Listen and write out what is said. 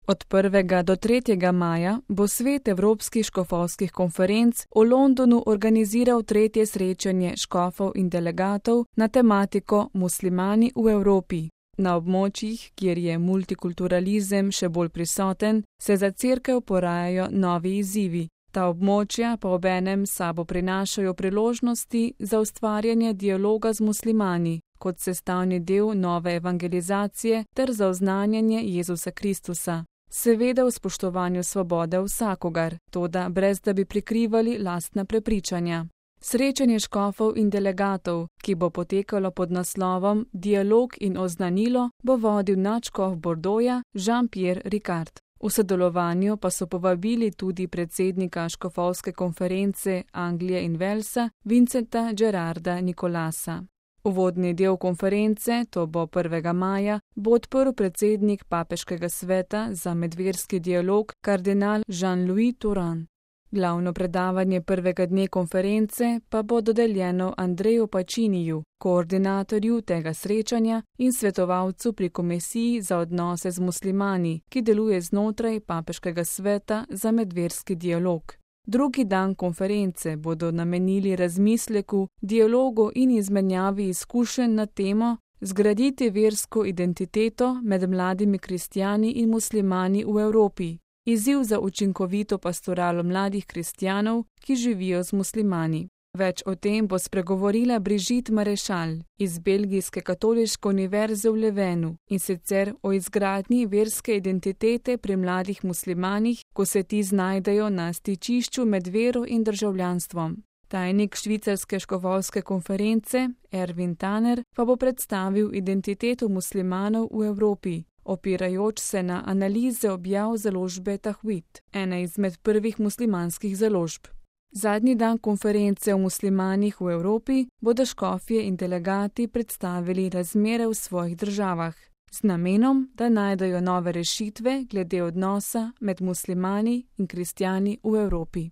Od 1. do 3. maja bo Svet Evropskih škofovskih konferenc v Londonu organiziral 3. srečanje škofov in delegatov na tematiko Muslimani v Evropi. Na območjih, kjer je multikulturalizem še bolj prisoten, se za cerkev porajajo novi izzivi. Ta območja pa obenem sabo prinašajo priložnosti za ustvarjanje dialoga z muslimani, kot sestavni del nove evangelizacije ter za oznanjanje Jezusa Kristusa. Seveda v spoštovanju svobode vsakogar, toda brez da bi prikrivali lastna prepričanja. Srečanje škofov in delegatov, ki bo potekalo pod naslovom Dialog in oznanilo, bo vodil nadškof Bordeauxa Jean-Pierre Ricard. V sodelovanju pa so povabili tudi predsednika škofovske konference Anglije in Walesa Vincenta Gerarda Nicolasa. Uvodni del konference, to bo 1. maja, bo odprl predsednik Papeškega sveta za medverski dialog kardinal Jean-Louis Touran. Glavno predavanje prvega dne konference pa bo dodeljeno Andreju Pacciniju, koordinatorju tega srečanja in svetovalcu pri Komisiji za odnose z muslimani, ki deluje znotraj Papeškega sveta za medverski dialog. Drugi dan konference bodo namenili razmisleku, dialogu in izmenjavi izkušenj na temo zgraditi versko identiteto med mladimi kristjani in muslimani v Evropi. Izziv za učinkovito pastoralo mladih kristjanov, ki živijo z muslimani. Več o tem bo spregovorila Brigitte Maréchal iz Belgijske katoliške univerze v Levenu, in sicer o izgradnji verske identitete pri mladih muslimanih, ko se ti znajdejo na stičišču med vero in državljanstvom. Tajnik švicarske škofovske konference Erwin Tanner pa bo predstavil identiteto muslimanov v Evropi, opirajoč se na analize objav založbe Tahvit, ene izmed prvih muslimanskih založb. Zadnji dan konference o muslimanih v Evropi bodo škofje in delegati predstavili razmere v svojih državah, z namenom, da najdejo nove rešitve glede odnosa med muslimani in kristjani v Evropi.